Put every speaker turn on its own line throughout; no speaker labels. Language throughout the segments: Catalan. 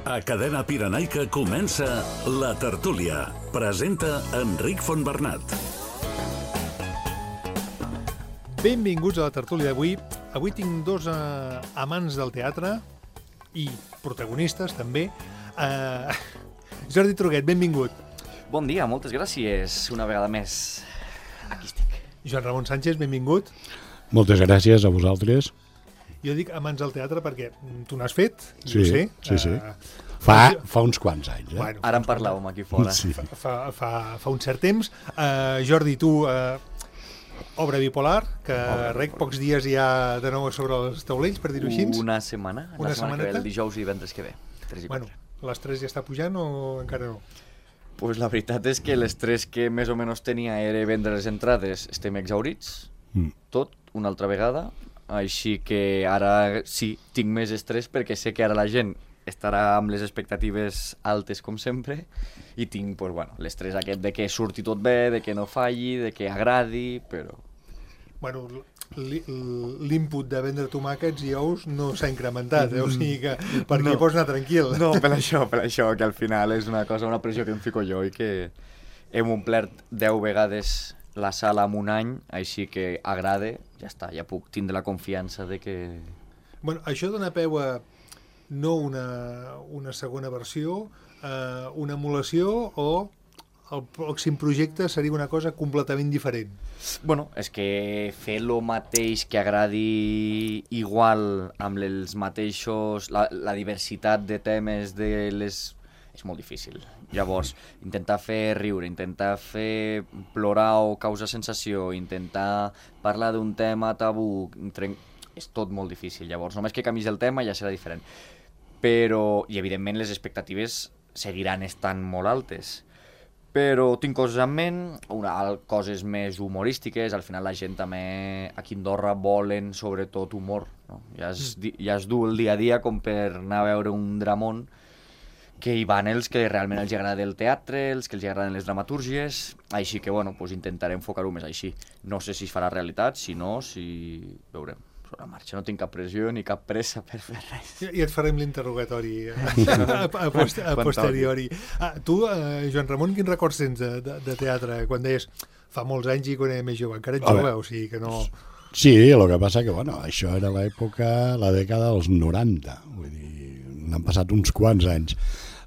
A Cadena Pirenaica comença La Tertúlia. Presenta Enric Fontbernat.
Benvinguts a La Tertúlia d'avui. Avui tinc dos amants del teatre i protagonistes també. Jordi Truguet, benvingut.
Bon dia, moltes gràcies una vegada més. Aquí estic.
Joan Ramon Sánchez, benvingut.
Moltes gràcies a vosaltres.
Jo dic amants del teatre perquè tu n'has fet,
sí,
ho sé.
Sí. Fa uns quants anys.
Bueno,
ara en parlàvem aquí fora.
Sí.
Fa un cert temps. Jordi, tu, obra bipolar, que rec pocs dies ja de nou sobre els taulells, per dir-ho així.
Una setmana que ve, el dijous i divendres que ve. 3 i 4.
Bueno, l'estrès ja està pujant o encara no?
Pues la veritat és que l'estrès que més o menys tenia era vendre les entrades. Estem exhaurits, tot, una altra vegada. Així que ara sí, tinc més estrès perquè sé que ara la gent estarà amb les expectatives altes com sempre i tinc pues, bueno, l'estrès aquest de que surti tot bé, de que no falli, de que agradi, però...
Bueno, l'input de vendre tomàquets i ous no s'ha incrementat, o sigui que per aquí pots anar tranquil.
No, per això, que al final és una pressió que em fico jo i que hem omplert 10 vegades la sala en un any, així que agrada, ja està, ja puc tindre la confiança de que...
Bueno, això dona peu a no una segona versió, una emulació o el pròxim projecte seria una cosa completament diferent?
Bueno, és que fer el mateix que agradi igual amb els mateixos, la diversitat de temes és molt difícil. Llavors, intentar fer riure, intentar fer plorar o causar sensació, intentar parlar d'un tema tabú, és tot molt difícil. Llavors, només que canvis el tema ja serà diferent. Però, i evidentment, les expectatives seguiran estant molt altes. Però tinc coses en ment, coses més humorístiques. Al final la gent també aquí a Andorra volen sobretot humor, no? Ja es du el dia a dia com per anar a veure un dramón, que hi van els que realment els agrada el teatre, els que els agraden les dramatúrgies, així que bueno, pues intentaré enfocar-ho més així. No sé si es farà realitat, si no, veurem. Sobre la marxa, no tinc cap pressió ni cap pressa per fer res.
I et farem l'interrogatori a posteriori. Tu, Joan Ramon, quins records tens de teatre? Quan deies, fa molts anys i quan era més jove, encara ets jove, o sigui que no...
Sí, el que passa que, bueno, això era la dècada dels 90, vull dir, n'han passat uns quants anys.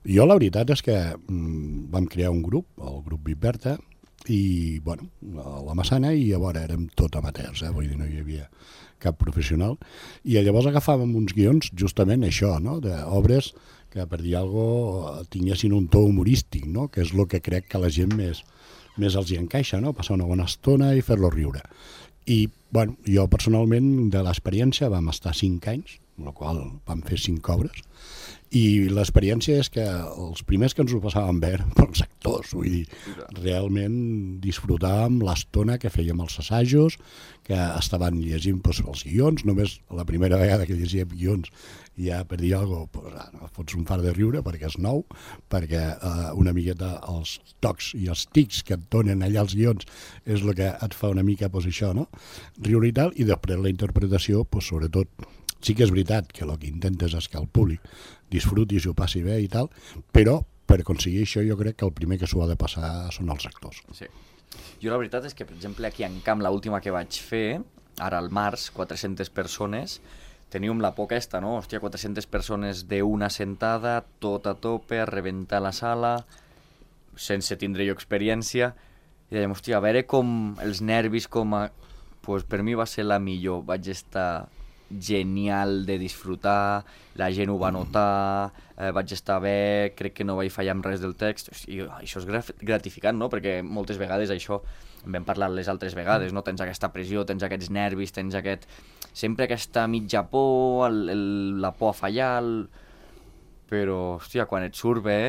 Jo la veritat és que vam crear un grup, el grup Viperta, i, bueno, a la Massana, i llavors érem tot amateurs, vull dir, no hi havia cap professional, i llavors agafàvem uns guions justament això, no?, d'obres que, per dir alguna cosa, tinguessin un to humorístic, no?, que és el que crec que a la gent més els hi encaixa, no?, passar una bona estona i fer-lo riure. I, bueno, jo personalment de l'experiència vam estar 5 anys, amb la qual vam fer 5 obres, i l'experiència és que els primers que ens ho passàvem bé eren els actors, vull dir, realment disfrutàvem l'estona que fèiem els assajos, que estaven llegint els guions, només la primera vegada que llegíem guions ja per dir alguna cosa, fots un far de riure perquè és nou, perquè una miqueta els tocs i els tics que et donen allà els guions és el que et fa una mica això, no? Riure i tal, i després la interpretació, sobretot, sí que és veritat que el que intentes és que el públic disfruti i s'ho passi bé i tal, però per aconseguir això jo crec que el primer que s'ho ha de passar són els actors.
Sí. Jo la veritat és que, per exemple, aquí en Camp, l'última que vaig fer, ara al març, 400 persones, teníem la por aquesta, no? Hòstia, 400 persones d'una sentada, tot a tope, a rebentar la sala, sense tindre jo experiència, i dèiem, hòstia, a veure com els nervis, pues per mi va ser la millor, vaig estar genial de disfrutar, la gent ho va notar, vaig estar bé, crec que no vaig fallar amb res del text, i això és gratificant, no? Perquè moltes vegades això, en vam parlar les altres vegades, no? Tens aquesta pressió, tens aquests nervis, tens sempre aquesta mitja por, la por a fallar, però, hòstia, quan et surt bé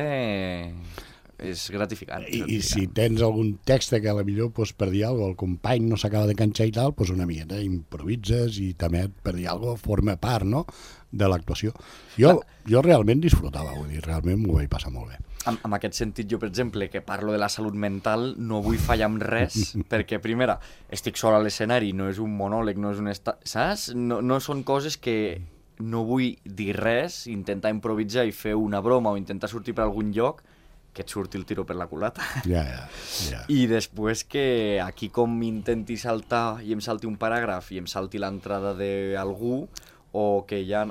és gratificant.
I si tens algun text que potser per dir alguna cosa, el company no s'acaba de canxar i tal, una miqueta improvises i també per dir alguna cosa forma part, no?, de l'actuació. Jo realment disfrutava, vull dir, realment m'ho vaig passar molt bé.
En aquest sentit, jo, per exemple, que parlo de la salut mental, no vull fallar amb res, perquè, primera, estic sol a l'escenari, no és un monòleg, no és un saps? No són coses que no vull dir res, intentar improvisar i fer una broma o intentar sortir per algun lloc, que et surti el tiro per la culata.
Ja.
I després que aquí com intenti saltar i em salti un paràgraf i em salti l'entrada d'algú o que ja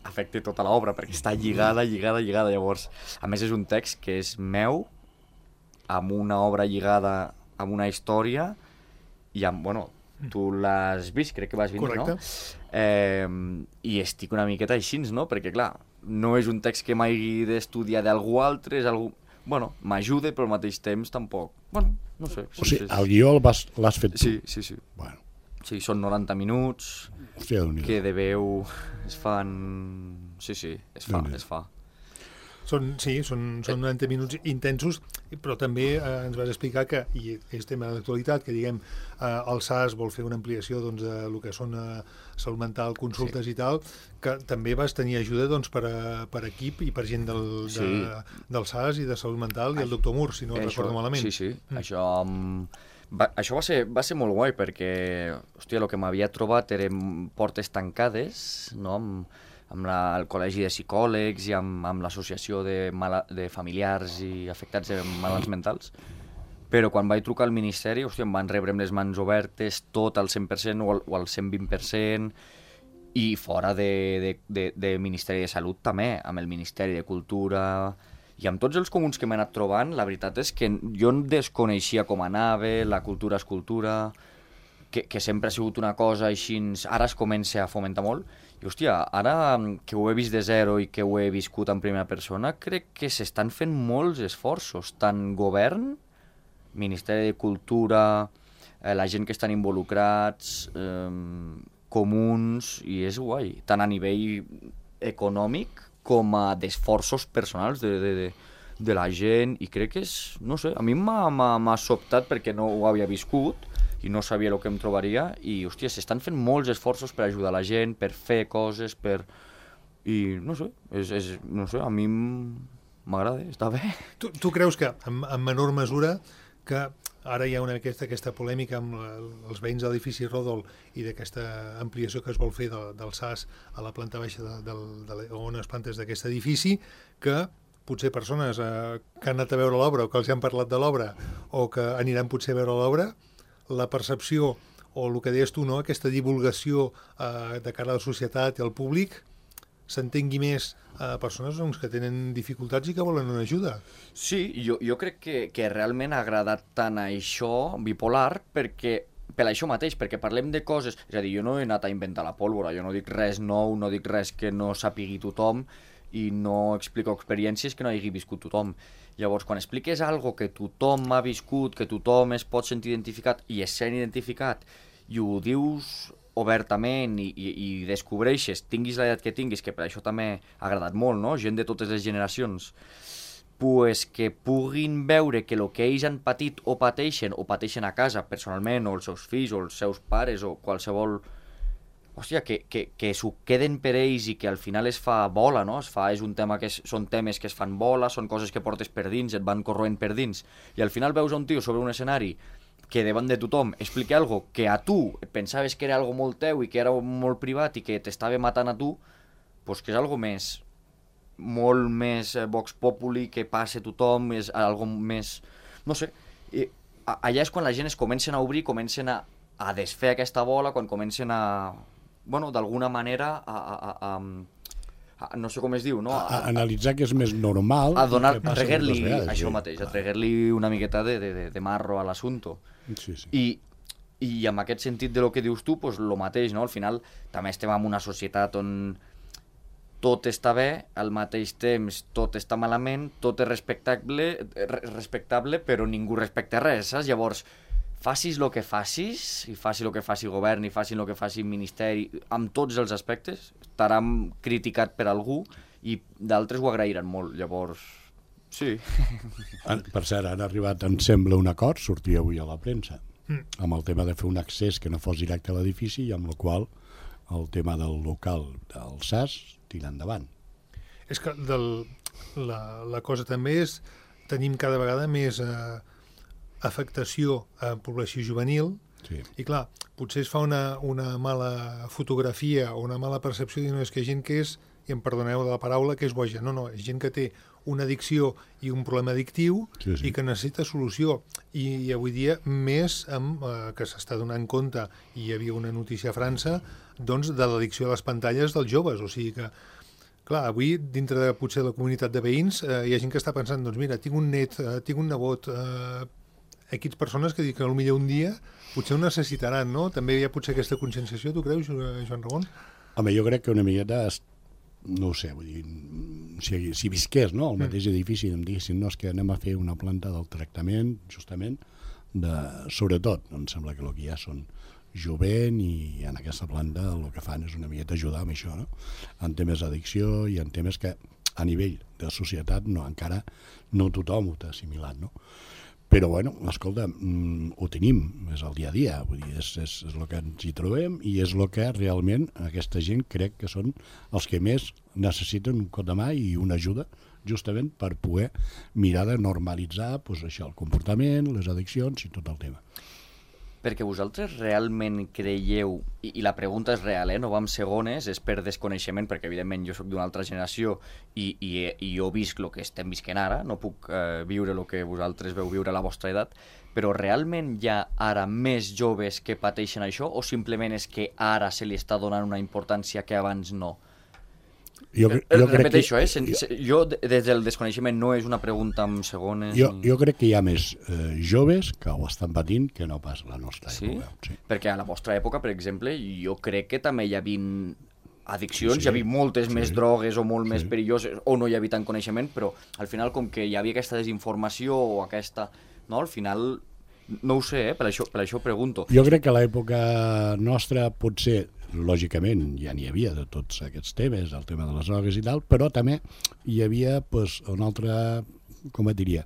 afecti tota l'obra perquè està lligada. Llavors, a més és un text que és meu, amb una obra lligada amb una història i amb, bueno, tu l'has vist, crec que vas venir,
correcte,
no? I estic una miqueta així, no? Perquè, clar, no és un text que m'hagi d'estudiar d'algú altre, és algú... Bueno, m'ajuda, però al mateix temps tampoc... Bueno, no sé.
O sigui, el guió l'has fet tu?
Sí.
Bueno.
Sí, són 90 minuts,
Hòstia,
que de veu es fan... Sí, es fa.
Són 90 minuts intensos, però també ens vas explicar que, i és tema d'actualitat, que diguem, el SAS vol fer una ampliació doncs, de lo que són salut mental, consultes i tal, que també vas tenir ajuda doncs, per equip i per gent del SAS i de salut mental i el doctor Mur, si no recordo malament.
Sí. Això va ser molt guai perquè, hòstia, el que m'havia trobat eren portes tancades, no?, amb el col·legi de psicòlegs i amb l'associació de familiars i afectats de malalts mentals. Però quan vaig trucar al Ministeri, hòstia, em van rebre amb les mans obertes, tot al 100% o al 120%, i fora de Ministeri de Salut també, amb el Ministeri de Cultura i amb tots els comuns que m'he anat trobant. La veritat és que jo desconeixia com anava, la cultura és cultura, que sempre ha sigut una cosa així, ara es comença a fomentar molt. I, hòstia, ara que ho he vist de zero i que ho he viscut en primera persona, crec que s'estan fent molts esforços, tant govern, Ministeri de Cultura, la gent que estan involucrats, comuns, i és guai, tant a nivell econòmic com a d'esforços personals de la gent, i crec que és, no sé, a mi m'ha sobtat perquè no ho havia viscut, i no sabia el que em trobaria, i, hòstia, s'estan fent molts esforços per ajudar la gent, per fer coses, I, no sé, no sé, a mi m'agrada, està bé.
Tu creus que, en menor mesura, que ara hi ha aquesta polèmica amb els veïns de l'edifici Rodol i d'aquesta ampliació que es vol fer del SAS a la planta baixa o unes plantes d'aquest edifici, que potser persones que han anat a veure l'obra o que els han parlat de l'obra o que aniran potser a veure l'obra, la percepció o el que deies tu, no? Aquesta divulgació de cara a la societat i al públic s'entengui més a persones que tenen dificultats i que volen una ajuda.
Sí, jo crec que realment ha agradat tant això, bipolar, per això mateix, perquè parlem de coses... És a dir, jo no he anat a inventar la pólvora, jo no dic res nou, no dic res que no sàpigui tothom i no explico experiències que no hagi viscut tothom. Llavors, quan expliques algo que tothom ha viscut, que tothom es pot sentir identificat i es sent identificat, i ho dius obertament i descobreixes, tinguis l'edat que tinguis, que per això també ha agradat molt, no? Gent de totes les generacions, pues que puguin veure que el que ells han patit o pateixen a casa personalment, o els seus fills, o els seus pares, o qualsevol... Hòstia, que s'ho queden per ells i que al final es fa bola, no? És un tema són temes que es fan bola, són coses que portes per dins, et van corroent per dins, i al final veus un tio sobre un escenari que davant de tothom explica algo que a tu pensaves que era algo molt teu i que era molt privat i que t'estava matant a tu, pues que és algo més, molt més vox populi, que passa a tothom, és algo més... No sé, allà és quan la gent es comencen a obrir, comencen a desfer aquesta bola, quan comencen a... Bueno, d'alguna manera no sé com es diu, no?
A analitzar que és més normal...
A donar, a treguer-li això mateix, a treguer-li una miqueta de marro a l'assumpte.
Sí.
I en aquest sentit de lo que dius tu, pues lo mateix, no? Al final també estem en una societat on tot està bé, al mateix temps tot està malament, tot és respectable, però ningú respecta res, saps? Llavors, facis el que facis, i faci el que faci el govern, i faci el que faci el ministeri, amb tots els aspectes, estarà criticat per algú, i d'altres ho agrairan molt, llavors, sí.
Per cert, han arribat, em sembla, un acord, sortia avui a la premsa, amb el tema de fer un accés que no fos directe a l'edifici, i amb el qual el tema del local del SAS tira endavant.
És que la cosa també és, tenim cada vegada més... afectació a població juvenil,
Sí.
I clar, potser es fa una mala fotografia o una mala percepció de que hi ha gent que és, i em perdoneu de la paraula, que és boja. No, és gent que té una addicció i un problema addictiu i que necessita solució. I avui dia, més amb que s'està donant compte, i hi havia una notícia a França, doncs, de l'addicció a les pantalles dels joves. O sigui que, clar, avui, dintre de potser la comunitat de veïns, hi ha gent que està pensant, doncs mira, tinc un net, tinc un nebot, aquestes persones que dic que potser un dia potser ho necessitaran, no? També hi ha potser aquesta conscienciació, tu creus, Joan Ramon?
Home, jo crec que una miqueta, no ho sé, vull dir, si visqués, no?, el mateix edifici, em diguessin, no, és que anem a fer una planta del tractament, justament, sobretot, em sembla que el que hi ha són jovent, i en aquesta planta el que fan és una miqueta ajudar amb això, no?, en temes d'addicció i en temes que a nivell de societat encara no tothom ho té assimilat, no? Però, bueno, escolta, ho tenim, és el dia a dia, vull dir, és el que ens hi trobem i és el que realment aquesta gent crec que són els que més necessiten un cop de mà i una ajuda justament per poder mirar de normalitzar doncs, això, el comportament, les addiccions i tot el tema.
Perquè vosaltres realment creieu, i la pregunta és real, no va amb segones, és per desconeixement, perquè evidentment jo sóc d'una altra generació i jo visc el que estem visquent ara, no puc viure el que vosaltres veu viure a la vostra edat, però realment hi ha ara més joves que pateixen això o simplement és que ara se li està donant una importància que abans no? Repeteixo, jo des del desconeixement no és una pregunta amb segones.
Jo crec que hi ha més joves que ho estan patint que no pas la nostra època.
Sí? Perquè a la vostra època, per exemple, jo crec que també hi havia addiccions, hi havia moltes més drogues o molt més perilloses, o no hi havia tant coneixement, però al final com que hi havia aquesta desinformació o aquesta... No, al final... No ho sé, per això pregunto.
Jo crec que a l'època nostra potser, lògicament, ja n'hi havia de tots aquests temes, el tema de les drogues i tal, però també hi havia una altra, com et diria,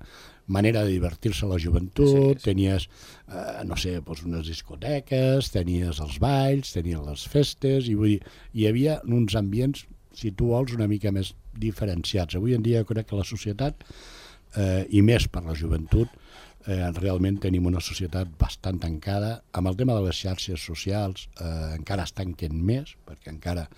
manera de divertir-se a la joventut, tenies, no sé, unes discoteques, tenies els balls, tenies les festes, i vull dir, hi havia uns ambients, si tu vols, una mica més diferenciats. Avui en dia crec que la societat, i més per la joventut, realment tenim una societat bastant tancada. Amb el tema de les xarxes socials encara es tanquen més, perquè encara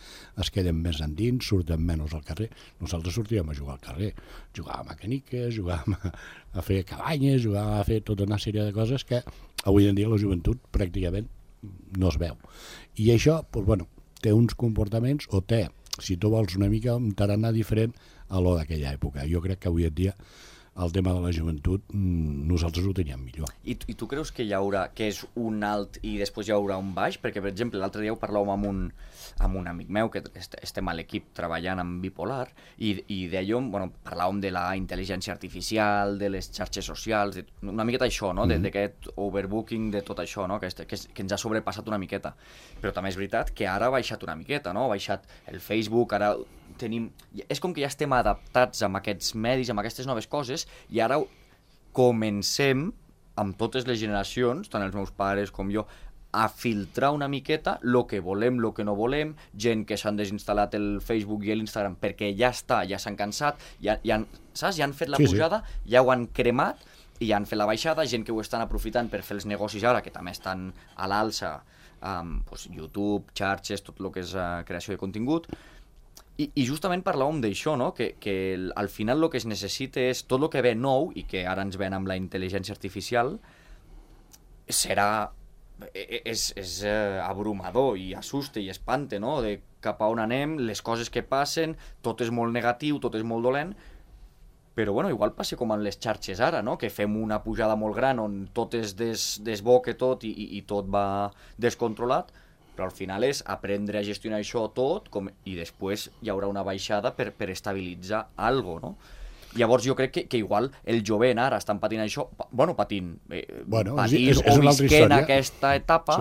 es queden més endins, surten menys al carrer. Nosaltres sortíem a jugar al carrer, jugàvem a caniques, jugàvem a fer cabanyes, jugàvem a fer tota una sèrie de coses que avui en dia la joventut pràcticament no es veu. I això, doncs, bueno, té uns comportaments, o té, si tu vols, una mica un tarannà diferent a lo d'aquella època. Jo crec que avui en dia el tema de la joventut nosaltres ho teníem millor.
I tu creus que hi haurà, que és un alt i després hi haurà un baix? Perquè, per exemple, l'altre dia ho parlàvem amb un amic meu, que estem a l'equip treballant amb Bipolar, i d'allò, bueno, parlàvem de la intel·ligència artificial, de les xarxes socials, una miqueta això, no? D'aquest overbooking, de tot això, no? Que ens ha sobrepassat una miqueta. Però també és veritat que ara ha baixat una miqueta, no? Ha baixat el Facebook, ara tenim... És com que ja estem adaptats amb aquests medis, amb aquestes noves coses, i ara comencem, amb totes les generacions, tant els meus pares com jo, a filtrar una miqueta el que volem, el que no volem, gent que s'han desinstal·lat el Facebook i l'Instagram perquè ja està, ja s'han cansat, saps? Ja han fet la pujada, ja ho han cremat i ja han fet la baixada, gent que ho estan aprofitant per fer els negocis ara, que també estan a l'alça, YouTube, xarxes, tot el que és creació de contingut. I justament parlàvem d'això, no? Que al final el que es necessita és tot el que ve nou, i que ara ens ven amb la intel·ligència artificial, és abrumador i assusta i espanta, no? De cap a on anem, les coses que passen, tot és molt negatiu, tot és molt dolent, però bueno, igual passa com en les xarxes ara, no? Que fem una pujada molt gran on tot es desboca tot i tot va descontrolat, però al final és aprendre a gestionar això tot i després hi haurà una baixada per estabilitzar alguna cosa, no? Llavors jo crec que igual el jovent ara estan patint això, patint o visquent aquesta etapa,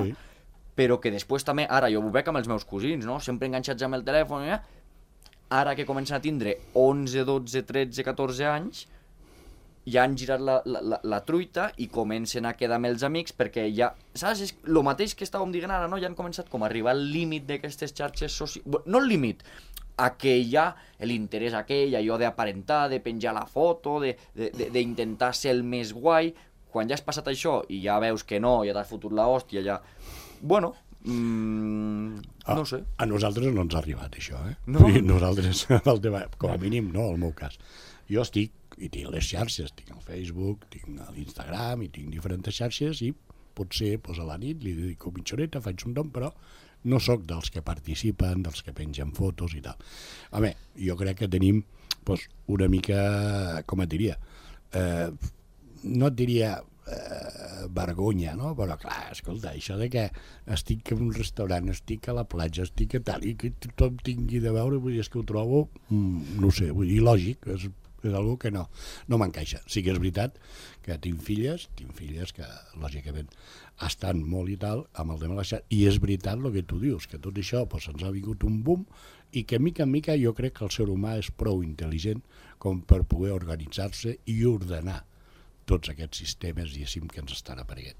però que després també, ara jo ho veig amb els meus cosins, no? Sempre enganxats amb el telèfon, ara que comencen a tindre 11, 12, 13, 14 anys, ja han girat la truita i comencen a quedar amb els amics perquè ja, saps, és el mateix que estàvem dient ara, no? Ja han començat com a arribar al límit d'aquestes xarxes socials, no el límit, a que hi ha l'interès aquell, allò d'aparentar, de penjar la foto, d'intentar ser el més guai, quan ja has passat això i ja veus que no, ja t'has fotut l'hòstia, ja... Bueno, no sé.
A nosaltres no ens ha arribat això, eh?
No?
Vull dir, nosaltres, el tema, com a mínim, no, el meu cas. Jo estic, i tinc les xarxes, tinc el Facebook, tinc l'Instagram, i tinc diferents xarxes, i potser a la nit li dedico mitja horeta, faig un nom, però no sóc dels que participen, dels que pengen fotos i tal. Home, jo crec que tenim una mica, com et diria, no et diria vergonya, no? Però clar, escolta, això de que estic en un restaurant, estic a la platja, estic a tal, i que tothom tingui de veure, vull dir, és que ho trobo, no sé, vull dir, lògic, és algo que no m'encaixa. Sí que és veritat que tinc filles que lògicament estan molt i tal amb el tema de la xarxa, i és veritat el que tu dius, que tot això ens ha vingut un boom i que mica en mica jo crec que el ser humà és prou intel·ligent com per poder organitzar-se i ordenar tots aquests sistemes, diguéssim, que ens estan apareixent.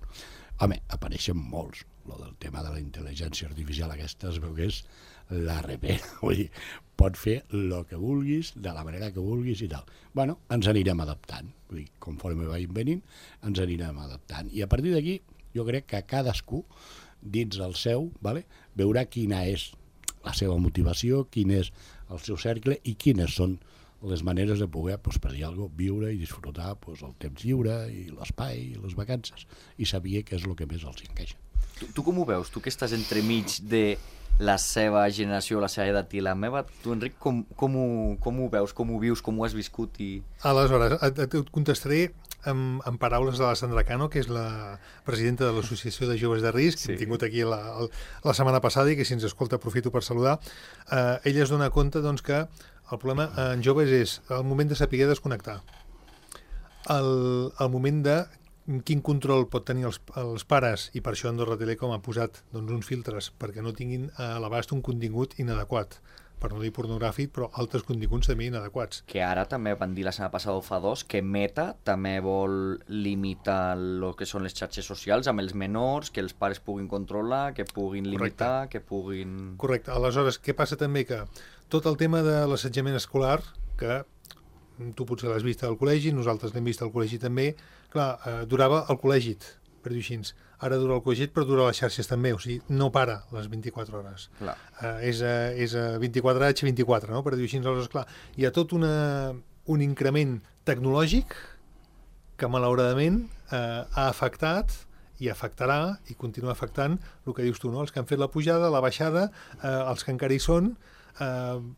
Home, apareixen molts. El del tema de la intel·ligència artificial aquesta es veu que és la repera. Vull dir, pot fer el que vulguis, de la manera que vulguis i tal. Bueno, ens anirem adaptant. Vull dir, conforme vagin venint, ens anirem adaptant. I a partir d'aquí, jo crec que cadascú, dins el seu, veurà quina és la seva motivació, quin és el seu cercle i quines són les maneres de poder, per dir alguna cosa, viure i disfrutar el temps lliure i l'espai i les vacances i saber què és el que més els encaixa.
Tu com ho veus? Tu que estàs entremig de la seva generació, la seva edat i la meva, tu, Enric, com ho veus, com ho vius, com ho has viscut?
Aleshores, et contestaré amb paraules de la Sandra Cano, que és la presidenta de l'Associació de Joves de Risc, que hem tingut aquí la setmana passada i que si ens escolta aprofito per saludar. Ella es dona compte que el problema en joves és el moment de saber desconnectar, el moment de quin control pot tenir els pares, i per això Andorra Telecom ha posat uns filtres perquè no tinguin a l'abast un contingut inadequat, per no dir pornogràfic, però altres continguts també inadequats.
Que ara també van dir la setmana passada o fa dos que Meta també vol limitar el que són les xarxes socials amb els menors, que els pares puguin controlar, que puguin limitar, que puguin...
Correcte. Aleshores, què passa també? Que tot el tema de l'assetjament escolar, que tu potser l'has vist al col·legi, nosaltres l'hem vist al col·legi també, clar, durava el col·legi, per dir així. Ara dura el col·legi, però dura les xarxes també, o sigui, no para les 24 hores. És 24h24, no? Per dir així. Aleshores, clar, hi ha tot un increment tecnològic que malauradament ha afectat i afectarà i continua afectant el que dius tu, no? Els que han fet la pujada, la baixada, els que encara hi són,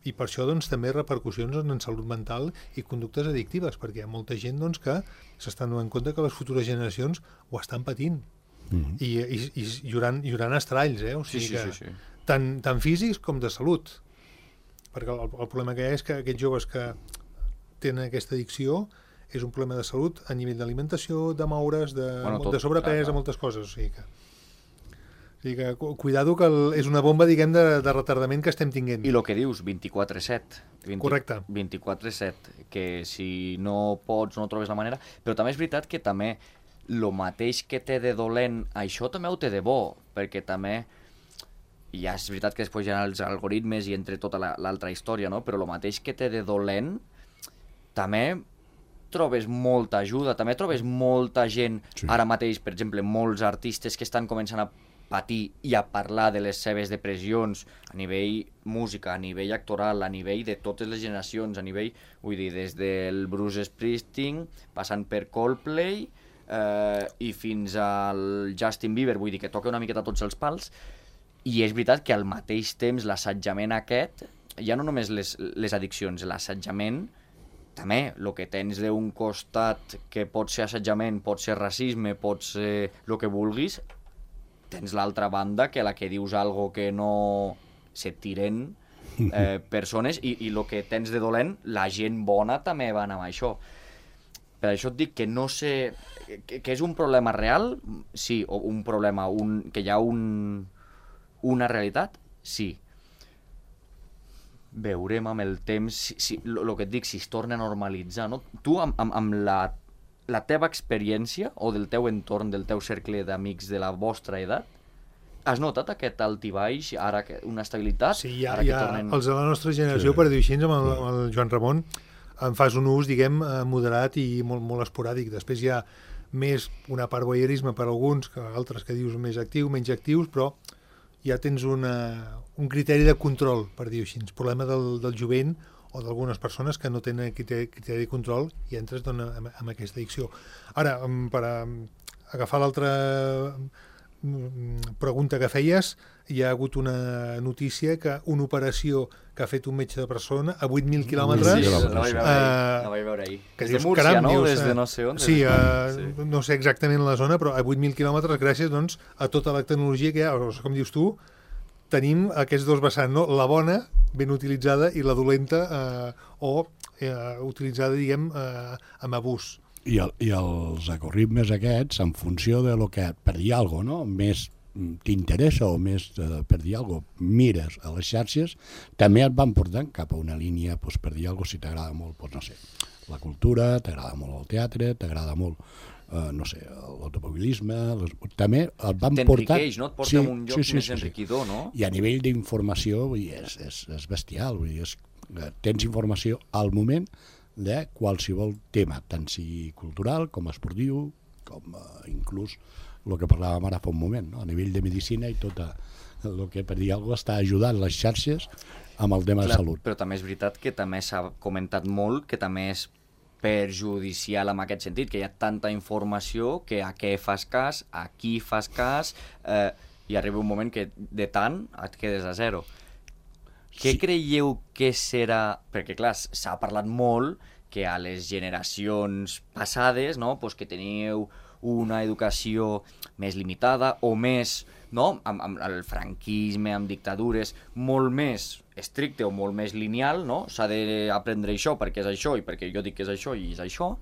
i per això també repercussions en salut mental i conductes addictives, perquè hi ha molta gent que s'estan donant compte que les futures generacions ho estan patint. I hi hauran estralls, o sigui que tant físics com de salut, perquè el problema que hi ha és que aquests joves que tenen aquesta addicció és un problema de salut a nivell d'alimentació, de moure's, de sobrepès, de moltes coses, o sigui que cuidado que és una bomba, diguem, de retardament que estem tinguent.
I el que dius, 24/7.
Correcte.
24/7, que si no pots no trobes la manera, però també és veritat que també el mateix que té de dolent, això també ho té de bo, perquè també, ja és veritat que després hi ha els algoritmes i entre tota l'altra història, no? Però el mateix que té de dolent, també trobes molta ajuda, també trobes molta gent, ara mateix, per exemple, molts artistes que estan començant a patir i a parlar de les seves depressions a nivell música, a nivell actoral, a nivell de totes les generacions, a nivell, vull dir, des del Bruce Springsteen, passant per Coldplay i fins al Justin Bieber, vull dir que toca una miqueta tots els pals, i és veritat que al mateix temps l'assetjament aquest, ja no només les addiccions, l'assetjament també, el que tens d'un costat que pot ser assetjament, pot ser racisme, pot ser el que vulguis, tens l'altra banda, que la que dius algo que no se tiren persones, i el que tens de dolent, la gent bona també va anar amb això. Per això et dic que no sé... que és un problema real? Sí. O un problema, que hi ha una realitat? Sí. Veurem amb el temps, el que et dic, si es torna a normalitzar, no? Tu, amb la teva experiència o del teu entorn, del teu cercle d'amics de la vostra edat, has notat aquest alt i baix, ara una estabilitat?
Sí, hi ha els de la nostra generació, per dir així, amb el Joan Ramon, en fas un ús, diguem, moderat i molt, molt esporàdic. Després hi ha més una part voyeurisme per alguns, que altres que dius més actius, menys actius, però ja tens un criteri de control, per dir-ho així. El problema del jovent o d'algunes persones que no tenen criteri de control i entres amb aquesta addicció. Ara, per agafar l'altra pregunta que feies, hi ha hagut una notícia que una operació que ha fet un metge de persona a 8.000 quilòmetres...
Sí, la vaig veure ahir.
Que
Des de
dius,
Múrcia,
caram,
no?
dius,
Des de no sé on.
Sí, no sé exactament la zona, però a 8.000 quilòmetres gràcies doncs, a tota la tecnologia que hi ha. Com dius tu, tenim aquests dos vessants, no? La bona, ben utilitzada, i la dolenta utilitzada, diguem, amb abús.
I els algoritmes aquests, en funció de lo que, per dir alguna cosa, no? Més t'interessa o més, per dir alguna cosa, mires a les xarxes, també et van portant cap a una línia, doncs, per dir alguna cosa, si t'agrada molt, doncs, no sé, la cultura, t'agrada molt el teatre, t'agrada molt, no sé, l'automobilisme, també et van portant...
T'enriqueix, no? Et porta a un lloc més enriquidor, no?
I a nivell d'informació, vull dir, és bestial, vull dir, tens informació al moment de qualsevol tema, tant sigui cultural com esportiu, com inclús el que parlàvem ara fa un moment, no? A nivell de medicina i tot el que, per dir alguna cosa, està ajudant les xarxes amb el tema de salut.
Però també és veritat que també s'ha comentat molt que també és perjudicial en aquest sentit, que hi ha tanta informació que a què fas cas, a qui fas cas, i arriba un moment que de tant et quedes a zero. Què creieu que serà... Perquè, clar, s'ha parlat molt que a les generacions passades, no?, pues que teníeu una educació més limitada o més, no?, amb el franquisme, amb dictadures, molt més estricte o molt més lineal, no?, s'ha d'aprendre això perquè és això i perquè jo dic que és això i és això,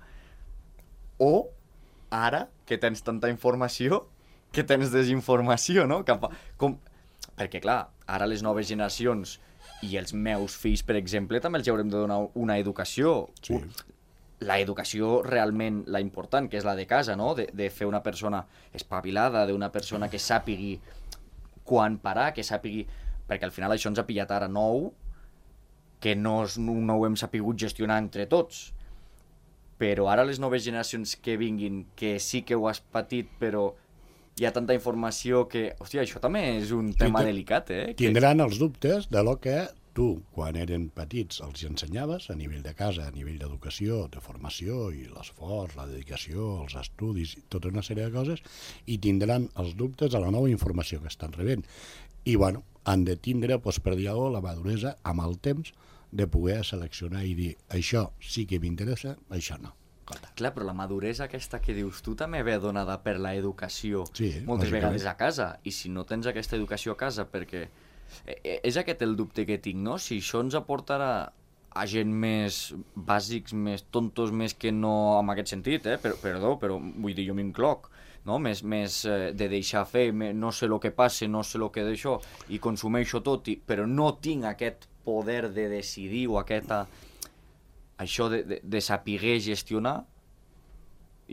o ara que tens tanta informació que tens desinformació, no? Perquè, clar, ara les noves generacions i els meus fills, per exemple, també els haurem de donar una educació. Sí. La educació realment, la important, que és la de casa, no? De fer una persona espavilada, d'una persona que sàpigui quan parar, que sàpigui... Perquè al final això ens ha pillat ara nou, que no ho hem sapigut gestionar entre tots. Però ara les noves generacions que vinguin, que sí que ho has patit, però hi ha tanta informació que... Hòstia, això també és un tema delicat, eh?
Tindran els dubtes de lo que tu, quan eren petits, els ensenyaves a nivell de casa, a nivell d'educació, de formació, i l'esforç, la dedicació, els estudis, tota una sèrie de coses, i tindran els dubtes de la nova informació que estan rebent. I, bueno, han de tindre, doncs, per dir-ho, la maduresa amb el temps de poder seleccionar i dir això sí que m'interessa, això no.
Clar, però la maduresa aquesta que dius tu també ve donada per l'educació,
sí,
moltes vegades a casa, i si no tens aquesta educació a casa, perquè és aquest el dubte que tinc, no? Si això ens aportarà a gent més bàsics, més tontos, més que no en aquest sentit, perdó, però vull dir, jo m'incloc, no? Més de deixar fer, no sé el que passa, no sé el que d'això, i consumeixo tot, però no tinc aquest poder de decidir o això de saber gestionar,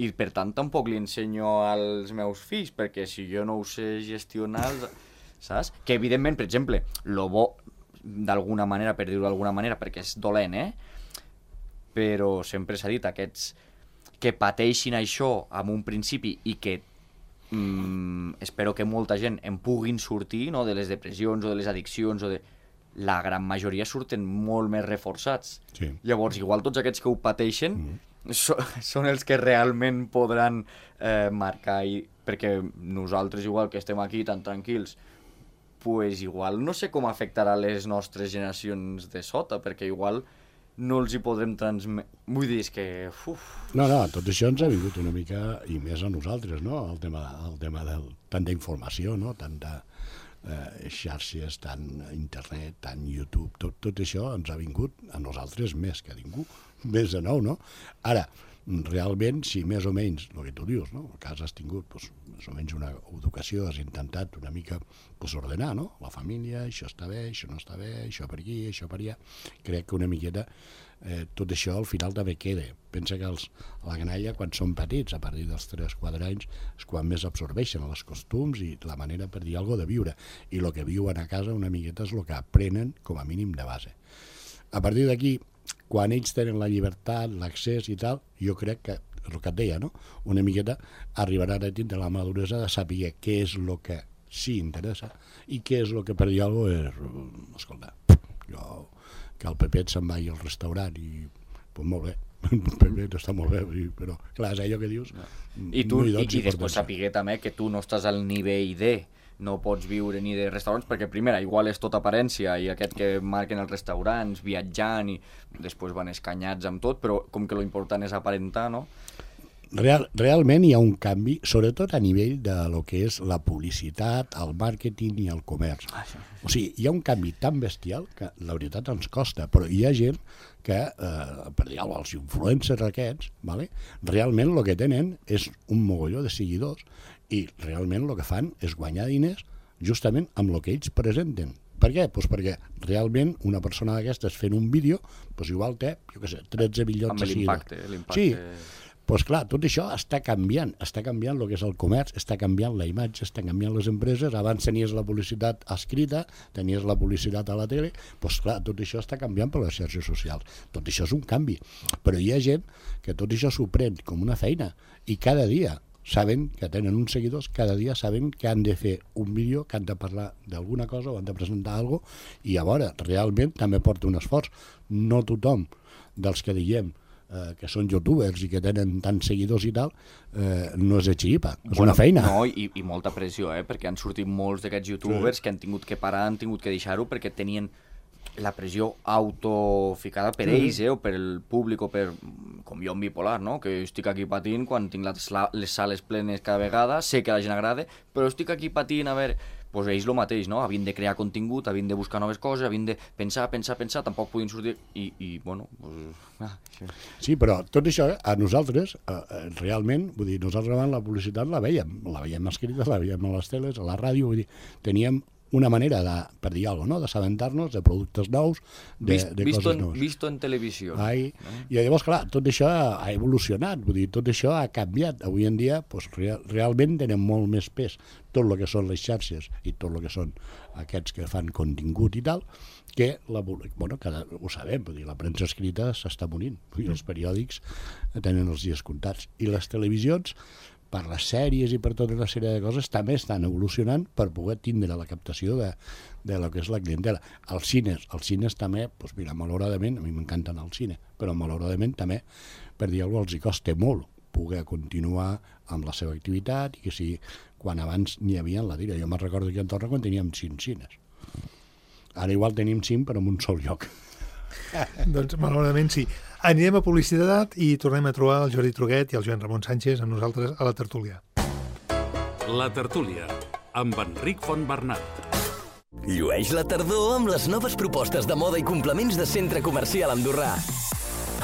i per tant tampoc li ensenyo als meus fills, perquè si jo no ho sé gestionar, saps? Que evidentment, per exemple, lo bo, d'alguna manera, per dir-ho d'alguna manera, perquè és dolent, però sempre s'ha dit, aquests que pateixin això en un principi i que espero que molta gent en puguin sortir, no?, de les depressions o de les addiccions o de... La gran majoria surten molt més reforçats.
Sí.
Llavors, igual tots aquests que ho pateixen són els que realment podran marcar, perquè nosaltres, igual que estem aquí tan tranquils, pues igual no sé com afectarà les nostres generacions de sota, perquè igual no els hi podrem transmetre... Vull dir, és que...
No, tot això ens ha vingut una mica, i més a nosaltres, no?, el tema de tanta informació, no?, tanta... xarxes, tant internet, tant YouTube, tot això ens ha vingut a nosaltres més que a ningú, més de nou, no? Ara, realment, si més o menys, el que tu dius, no? A casa has tingut doncs, més o menys una educació, has intentat una mica doncs, ordenar, no? La família, això està bé, això no està bé, això per aquí, això per allà. Crec que una miqueta tot això al final també queda. Pensa que la canalla, quan són petits, a partir dels 3-4 anys, és quan més absorbeixen els costums i la manera, per dir alguna cosa, de viure. I el que viuen a casa una miqueta és el que aprenen com a mínim de base. A partir d'aquí, quan ells tenen la llibertat, l'accés i tal, jo crec que el que et deia, no? Una miqueta arribaran a tindre la maduresa de saber què és el que sí interessa i què és el que per dir alguna cosa és, escolta, jo, que el Pepet se'n vagi al restaurant i, pues molt bé, el Pepet està molt bé, però clar, és allò que dius...
I tu, i després saber també que tu no estàs al nivell de... no pots viure ni de restaurants, perquè primera, igual és tota aparència, i aquest que marquen els restaurants, viatjant, i després van escanyats amb tot, però com que lo important és aparentar, no?
Realment hi ha un canvi, sobretot a nivell de lo que és la publicitat, el màrqueting i el comerç. O sigui, hi ha un canvi tan bestial que la veritat ens costa, però hi ha gent que, per dir alguna cosa, els influencers aquests, vale? Realment el que tenen és un mogolló de seguidors i realment el que fan és guanyar diners justament amb el que ells presenten. Per què? Pues perquè realment una persona d'aquestes fent un vídeo pues igual té, jo què sé, 13 milions de seguidors.
Amb l'impacte.
Sí, pues clar, tot això està canviant el que és el comerç, està canviant la imatge, està canviant les empreses. Abans tenies la publicitat escrita, tenies la publicitat a la tele, pues clar, tot això està canviant per les xarxes socials. Tot això és un canvi, però hi ha gent que tot això s'ho pren com una feina i cada dia saben que tenen uns seguidors, cada dia saben que han de fer un vídeo, que han de parlar d'alguna cosa o han de presentar alguna cosa, i a veure, realment també porta un esforç. No tothom dels que diguem que són youtubers i que tenen tants seguidors i tal, no és de xiripa, és una feina.
No, i molta pressió, perquè han sortit molts d'aquests youtubers que han tingut que parar, han tingut que deixar-ho perquè tenien la pressió autoficada per ells, o per el públic, o per, com jo en bipolar, no? Que estic aquí patint quan tinc les sales plenes cada vegada, sé que a la gent agrada, però estic aquí patint, a veure... Pues ells el mateix, no? Havien de crear contingut, havien de buscar noves coses, havien de pensar, tampoc podien sortir i bueno... Pues...
Sí, però tot això a nosaltres, realment, vull dir, nosaltres abans la publicitat la veiem escrita, la veiem a les teles, a la ràdio, vull dir, teníem una manera de, per dir alguna cosa, no? D'assabentar-nos de productes nous, de coses noves.
Visto en televisió.
I llavors, clar, tot això ha evolucionat, vull dir, tot això ha canviat. Avui en dia, pues, realment tenen molt més pes tot el que són les xarxes i tot el que són aquests que fan contingut i tal, que, bueno, ho sabem, vull dir, la premsa escrita s'està morint, i els periòdics tenen els dies comptats. I les televisions, per les sèries i per tota una sèrie de coses, també estan evolucionant per poder tindre la captació de lo que és la clientela. Els cines també, doncs mira, malauradament, a mi m'encanten el cine, però malauradament també, per dir alguna cosa, els hi costa molt poder continuar amb la seva activitat i que si quan abans n'hi havia la tira. Jo me'n recordo aquí a Andorra quan teníem 5 cines. Ara igual tenim 5 però en un sol lloc.
Doncs malauradament sí. Anirem a publicitat i tornem a trobar el Jordi Truguet i el Joan Ramon Sánchez amb nosaltres a la tertúlia.
La tertúlia, amb Enric Fontbernat.
Llueix la tardor amb les noves propostes de moda i complements de Centre Comercial Andorrà.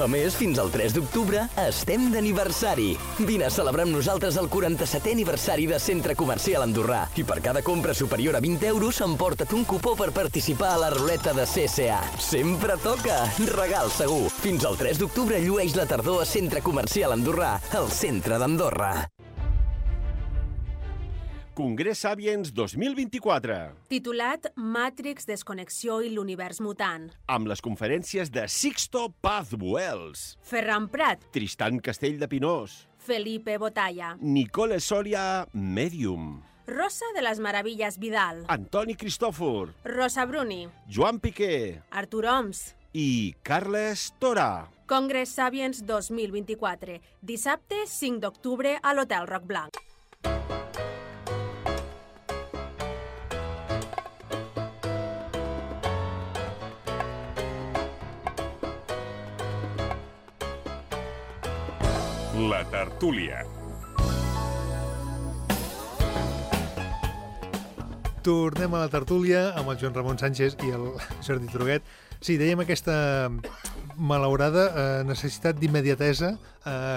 A més, fins al 3 d'octubre estem d'aniversari. Vine a celebrar amb nosaltres el 47è aniversari de Centre Comercial Andorrà. I per cada compra superior a 20 euros emporta't un cupó per participar a la ruleta de CSA. Sempre toca! Regal segur! Fins al 3 d'octubre llueix la tardor a Centre Comercial Andorrà, al centre d'Andorra.
Congrés Sapiens 2024.
Titulat Matrix, Desconnexió i l'univers mutant.
Amb les conferències de Sixto Paz Buels,
Ferran Prat,
Tristan Castell de Pinós,
Felipe Botalla,
Nicole Soria, Medium,
Rosa de les Meravilles Vidal,
Antoni Cristòfor,
Rosa Bruni,
Joan Piqué
Artur Oms.
i Carles Tora.
Congrés Sapiens 2024. Dissabte 5 d'octubre a l'Hotel Roc Blanc.
La tertúlia.
Tornem a la tertúlia amb el Joan Ramon Sánchez i el Jordi Truguet. Sí, dèiem aquesta malaurada necessitat d'immediatesa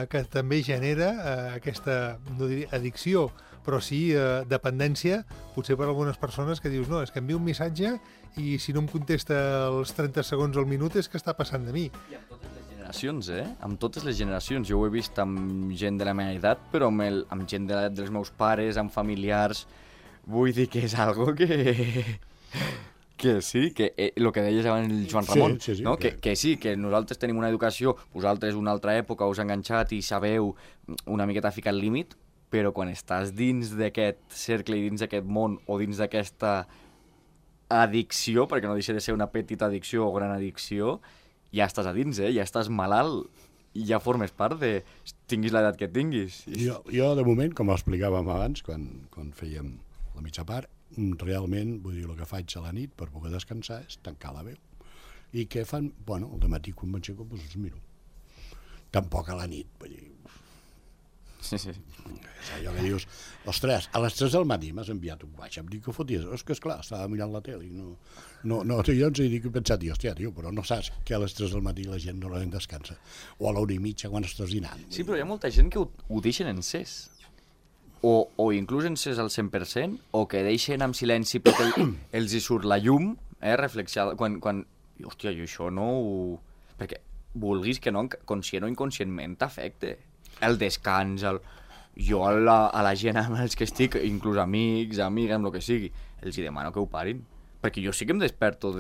que també genera aquesta, no diria addicció, però sí dependència, potser per algunes persones que dius, no, és que envio un missatge i si no em contesta els 30 segons al minut és que està passant de mi.
I amb totes les generacions, amb totes les generacions. Jo ho he vist amb gent de la meva edat, però amb gent de l'edat dels meus pares, amb familiars. Vull dir que és algo que Que sí, que el que deies abans el Joan Ramon,
sí,
no? Que sí, que nosaltres tenim una educació, vosaltres una altra època us enganxat i sabeu una miqueta ficar el límit, però quan estàs dins d'aquest cercle i dins d'aquest món o dins d'aquesta addicció, perquè no deixa de ser una petita addicció o gran addicció, ja estàs a dins, ja estàs malalt i ja formes part de... tinguis l'edat que tinguis.
Jo, de moment, com explicàvem abans, quan fèiem la mitja part, realment, vull dir, el que faig a la nit per poder descansar és tancar la veu. I què fan? Bueno, al dematí quan m'aixeco, doncs els miro. Tampoc a la nit, vull dir...
Sí.
És allò que dius, ostres, a les 3 del matí m'has enviat un WhatsApp, dic que foties, és que esclar, estava mirant la tele i no, jo ens he dit que he pensat, hòstia, tio, però no saps que a les 3 del matí la gent normalment descansa, o a l'1:30 quan estàs dinant.
Sí, però hi ha molta gent que ho deixen encès, o inclús encès al 100%, o que deixen en silenci perquè els hi surt la llum, reflexiada, quan... Hòstia, jo això no ho... Perquè vulguis que no, conscient o inconscientment t'afecte. El descans, jo a la gent amb els que estic, inclús amics, amigues, amb el que sigui, els hi demano que ho parin. Perquè jo sí que em desperto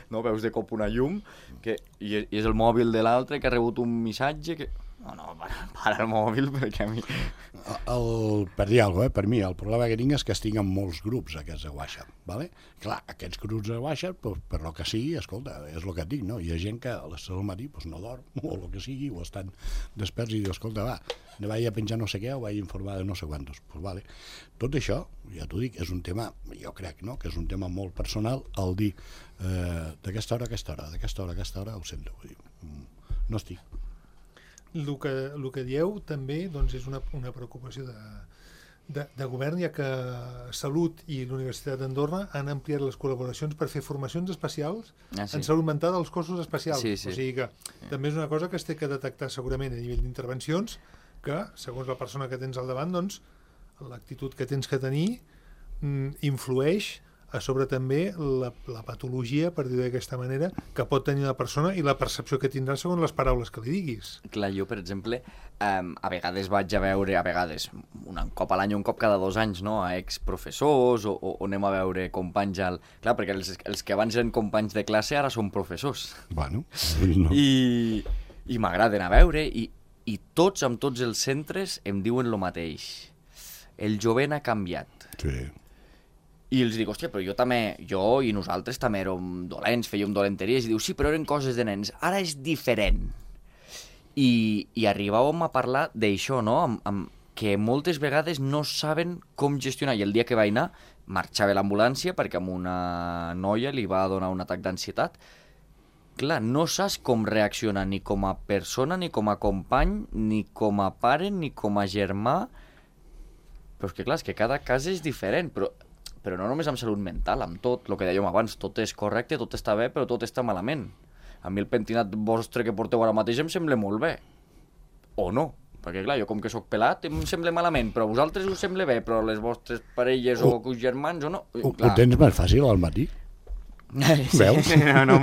no veus de cop una llum i és el mòbil de l'altre que ha rebut un missatge que... No, para el mòbil, perquè a mi...
Per dir alguna cosa, per mi, el problema que tinc és que estic en molts grups aquests de WhatsApp, ¿vale? Clar, aquests grups de WhatsApp, per lo que sigui, escolta, és el que et dic, no? Hi ha gent que a les 3 del matí no dorm, o el que sigui, o estan desperts i diu, escolta, va, ne vaig a penjar no sé què, o vaig a informar de no sé quantos. Pues vale. Tot això, ja t'ho dic, és un tema, jo crec, no?, que és un tema molt personal, el dir d'aquesta hora a aquesta hora, d'aquesta hora a aquesta hora, ho sento, vull dir, no estic.
El que dieu també doncs, és una preocupació de govern, ja que Salut i la Universitat d'Andorra han ampliat les col·laboracions per fer formacions especials en salut mental als cossos especials.
Sí.
O sigui que també és una cosa que es té que detectar segurament a nivell d'intervencions, que segons la persona que tens al davant, doncs, l'actitud que tens que tenir influeix a sobre també la patologia, per dir-ho d'aquesta manera, que pot tenir la persona i la percepció que tindrà segons les paraules que li diguis.
Clar, jo, per exemple, a vegades vaig a veure, un cop a l'any o un cop cada 2 anys, no?, a exprofessors o anem a veure companys Clar, perquè els que abans eren companys de classe ara són professors.
Bueno, no.
I m'agraden a veure i tots, amb tots els centres, em diuen el mateix. El jovent ha canviat.
Sí.
I els dic, hòstia, però jo i nosaltres també érem dolents, fèiem dolenteries, i diu, sí, però eren coses de nens, ara és diferent. I arribàvem a parlar d'això, no?, que moltes vegades no saben com gestionar, i el dia que vaig anar, marxava l'ambulància perquè a una noia li va donar un atac d'ansietat. Clar, no saps com reaccionar ni com a persona, ni com a company, ni com a pare, ni com a germà, però és que clar, és que cada cas és diferent, però no només amb salut mental, amb tot, el que dèiem abans, tot és correcte, tot està bé, però tot està malament. A mi el pentinat vostre que porteu ara mateix em sembla molt bé. O no, perquè clar, jo com que sóc pelat em sembla malament, però a vosaltres us sembla bé, però les vostres parelles o germans o no...
Ho tens més fàcil al matí? Veus?
No,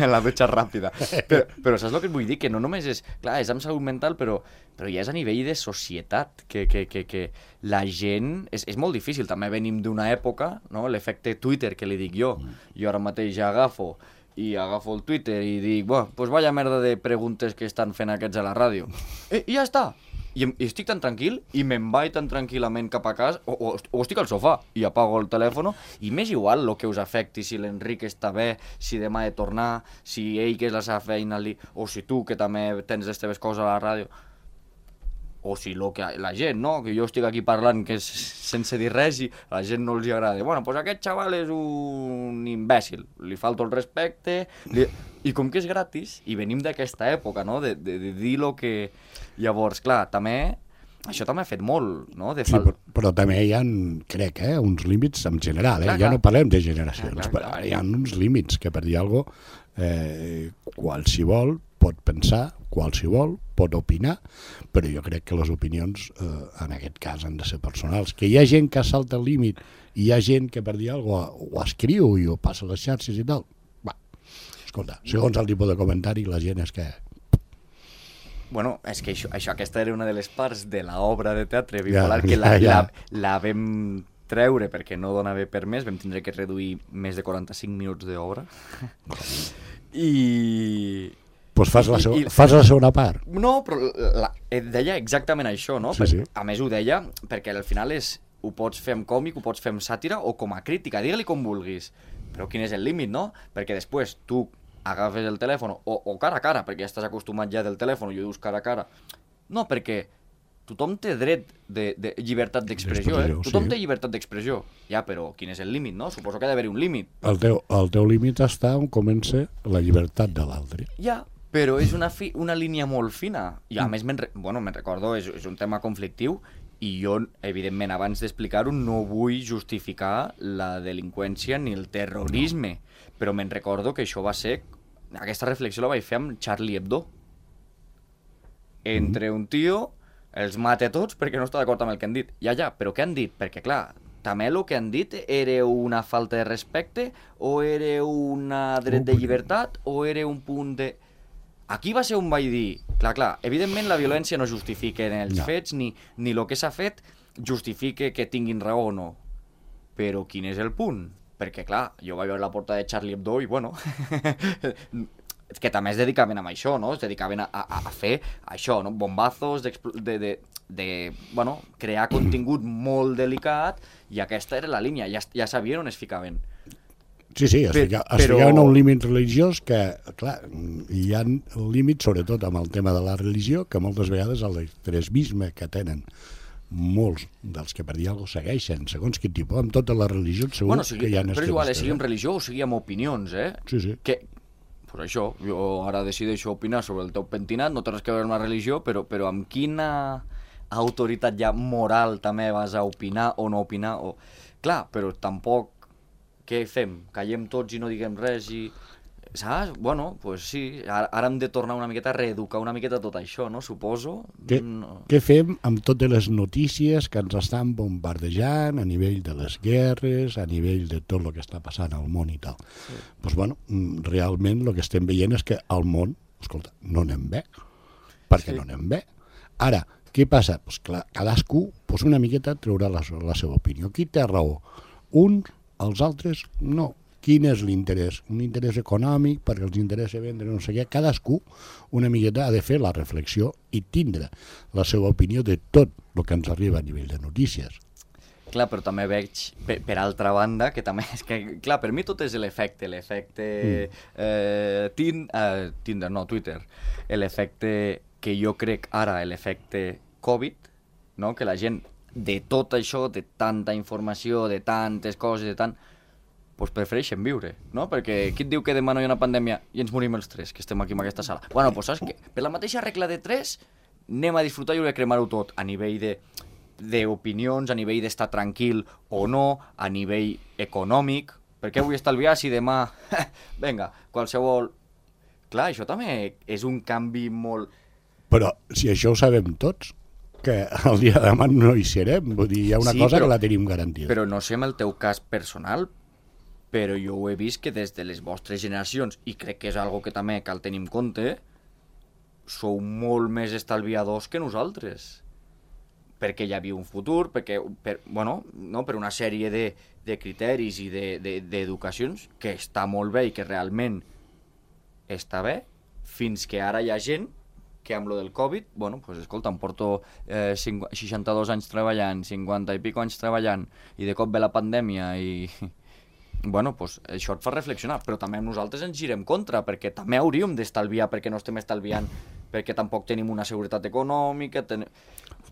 la dutxa ràpida. Però saps el que et vull dir? Que no només és... Clar, és amb salut mental, però ja és a nivell de societat, que la gent... És molt difícil, també venim d'una època, no?, l'efecte Twitter, que li dic jo. Jo ara mateix agafo el Twitter i dic, pues vaya merda de preguntes que estan fent aquests a la ràdio. I ja està. I estic tan tranquil, i me'n vaig tan tranquil·lament cap a casa, o estic al sofà, i apago el telèfon, i m'és igual el que us afecti, si l'Enric està bé, si demà he de tornar, si ell que és la seva feina, o si tu que també tens les teves coses a la ràdio, o si la gent, no?, que jo estic aquí parlant que sense dir res i a la gent no els agrada. Bueno, doncs aquest xaval és un imbècil, li falta el respecte, i com que és gratis, i venim d'aquesta època, no?, de dir el que... Llavors, clar, això també ha fet molt, no?
Sí, però també hi ha, crec, uns límits en general, ja no parlem de generacions, però hi ha uns límits que, per dir alguna cosa, qualsevol pot pensar, qualsevol pot opinar, però jo crec que les opinions, en aquest cas, han de ser personals. Que hi ha gent que salta el límit i hi ha gent que, per dir alguna cosa, ho escriu i ho passa a les xarxes i tal. Va, escolta, segons el tipus de comentari, la gent és que...
Bueno, és que aquesta era una de les parts de l'obra de teatre bipolar que la vam treure perquè no donava per més, vam tindre que reduir més de 45 minuts d'obra. I...
Pues fas la segona part.
No, però deia exactament això, no?
Sí.
A més ho deia perquè al final ho pots fer amb còmic, ho pots fer amb sàtira o com a crítica, digue-li com vulguis. Però quin és el límit, no? Perquè després tu agafes el telèfon o cara a cara, perquè ja estàs acostumat ja del telèfon i ho dius cara a cara. No, perquè tothom té dret de llibertat d'expressió, Tothom té llibertat d'expressió. Ja, però quin és el límit, no? Suposo que ha d'haver-hi un límit.
El teu límit està on comença la llibertat de l'altre.
Ja, però és una línia molt fina. I a més, me'n recordo, és un tema conflictiu i jo, evidentment, abans d'explicar-ho, no vull justificar la delinqüència ni el terrorisme, però me'n recordo que això va ser... Aquesta reflexió la vaig fer amb Charlie Hebdo. Entre un tio, els mata tots perquè no està d'acord amb el que han dit. Ja, però què han dit? Perquè, clar, també el que han dit era una falta de respecte o era un dret de llibertat o era un punt de... Aquí va ser on vaig dir, clar, evidentment la violència no justifica els fets ni el que s'ha fet justifica que tinguin raó o no. Però quin és el punt? Perquè, clar, jo vaig veure la portada de Charlie Hebdo i, bueno, que també es dedicaven a això, no? Es dedicaven a fer això, no? Bombazos, bueno, crear contingut molt delicat i aquesta era la línia, ja sabien on es ficaven.
Sí, es ficaven a un límit religiós que, clar, hi ha límits, sobretot amb el tema de la religió, que moltes vegades l'extremisme que tenen molts dels que per dir alguna cosa segueixen, segons quin tipus, amb totes les religions segur que hi ha extremistes.
Però igual, sigui amb religió o sigui amb opinions,
Sí.
Pues això, jo ara decideixo opinar sobre el teu pentinat, no té res que veure amb la religió, però amb quina autoritat ja moral també vas a opinar o no opinar? Clar, però tampoc què fem? Callem tots i no diguem res i... Saps? Bueno, pues sí, ara hem de tornar una miqueta a reeducar una miqueta tot això, no? Suposo.
Què fem amb totes les notícies que ens estan bombardejant a nivell de les guerres, a nivell de tot el que està passant al món i tal? Doncs bueno, realment el que estem veient és que al món, escolta, no anem bé, perquè no anem bé. Ara, què passa? Pues clar, cadascú una miqueta traurà la seva opinió. Qui té raó? Uns, els altres, no. Quin és l'interès? Un interès econòmic, perquè els interessa vendre no sé què. Cadascú una miqueta ha de fer la reflexió i tindre la seva opinió de tot el que ens arriba a nivell de notícies.
Clar, però també veig, per altra banda, que també és que, clar, per mi tot és l'efecte Tinder, no, Twitter, l'efecte que jo crec ara, l'efecte Covid, no? Que la gent de tot això, de tanta informació, de tantes coses, doncs prefereixen viure, no? Perquè qui et diu que demà no hi ha una pandèmia i ens morim els tres, que estem aquí en aquesta sala? Bueno, doncs saps què? Per la mateixa regla de 3 anem a disfrutar i a cremar-ho tot, a nivell d'opinions, a nivell d'estar tranquil o no, a nivell econòmic. Per què vull estalviar si demà... Vinga, qualsevol... Clar, això també és un canvi molt...
Però si això ho sabem tots, que el dia de demà no hi serem, vull dir, hi ha una cosa que la tenim garantida.
Però no sé amb el teu cas personal, però jo ho he vist que des de les vostres generacions, i crec que és algo que també cal tenir en compte, sou molt més estalviadors que nosaltres. Perquè hi havia un futur, per una sèrie de criteris i d'educacions que està molt bé i que realment està bé, fins que ara hi ha gent que amb lo del Covid, escolta, em porto 62 anys treballant, 50 i pico anys treballant, i de cop ve la pandèmia i... això et fa reflexionar, però també nosaltres ens girem contra, perquè també hauríem d'estalviar, perquè no estem estalviant, perquè tampoc tenim una seguretat econòmica...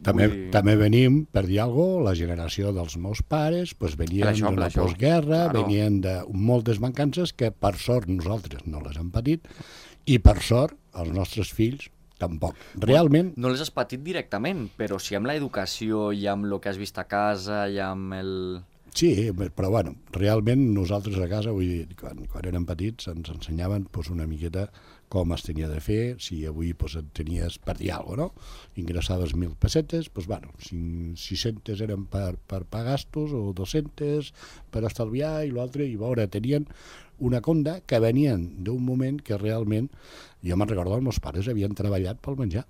També venim, per dir alguna cosa, la generació dels meus pares venien d'una postguerra, venien de moltes mancances que per sort nosaltres no les hem patit i per sort els nostres fills tampoc. Realment...
No les has patit directament, però sí amb l'educació i amb el que has vist a casa i amb el...
Sí, però realment nosaltres a casa, vull dir, quan érem petits ens ensenyaven una miqueta com es tenia de fer, si avui tenies per dir alguna cosa, no? Ingressaves 1.000 pessetes, 600 eren per pagar gastos o 200 per estalviar i l'altre, i veure, tenien una conda que venien d'un moment que realment, jo me'n recordo, els meus pares havien treballat pel menjar.